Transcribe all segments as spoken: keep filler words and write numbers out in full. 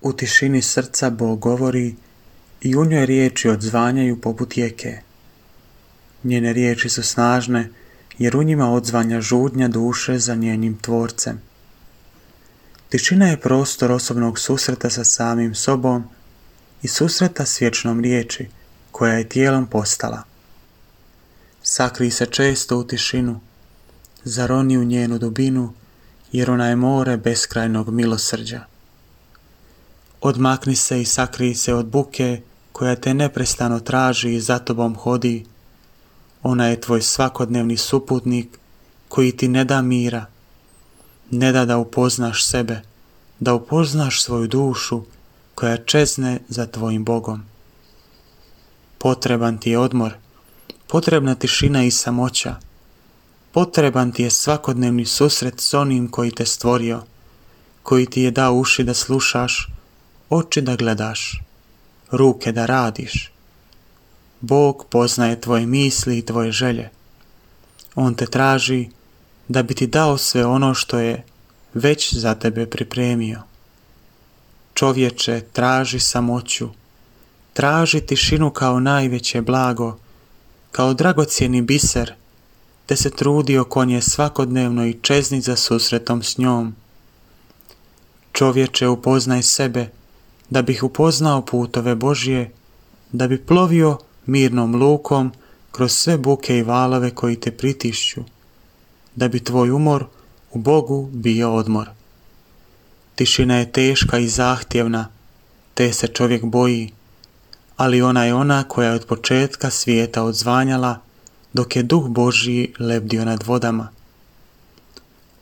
U tišini srca Bog govori i u njoj riječi odzvanjaju poput rijeke. Njene riječi su snažne jer u njima odzvanja žudnja duše za njenim tvorcem. Tišina je prostor osobnog susreta sa samim sobom i susreta s vječnom riječi koja je tijelom postala. Sakri se često u tišinu, zaroni u njenu dubinu jer ona je more beskrajnog milosrđa. Odmakni se i sakri se od buke koja te neprestano traži i za tobom hodi. Ona je tvoj svakodnevni suputnik koji ti ne da mira, ne da da upoznaš sebe, da upoznaš svoju dušu koja čezne za tvojim Bogom. Potreban ti je odmor, potrebna tišina i samoća, potreban ti je svakodnevni susret s onim koji te stvorio, koji ti je dao uši da slušaš, oči da gledaš, ruke da radiš. Bog poznaje tvoje misli i tvoje želje. On te traži da bi ti dao sve ono što je već za tebe pripremio. Čovječe, traži samoću, traži tišinu kao najveće blago, kao dragocjeni biser, te se trudi oko nje svakodnevno i čezni za susretom s njom. Čovječe, upoznaj sebe, da bih upoznao putove Božje, da bi plovio mirnom lukom kroz sve buke i valove koji te pritišću, da bi tvoj umor u Bogu bio odmor. Tišina je teška i zahtjevna, te se čovjek boji, ali ona je ona koja je od početka svijeta odzvanjala, dok je Duh Božji lebdio nad vodama.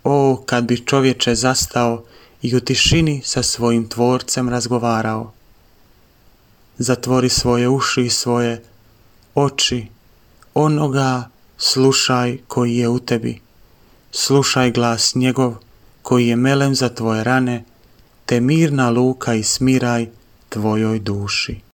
O, kad bi čovječe zastao i u tišini sa svojim tvorcem razgovarao. Zatvori svoje uši i svoje oči, onoga slušaj koji je u tebi. Slušaj glas njegov koji je melem za tvoje rane, te mirna luka i smiraj tvojoj duši.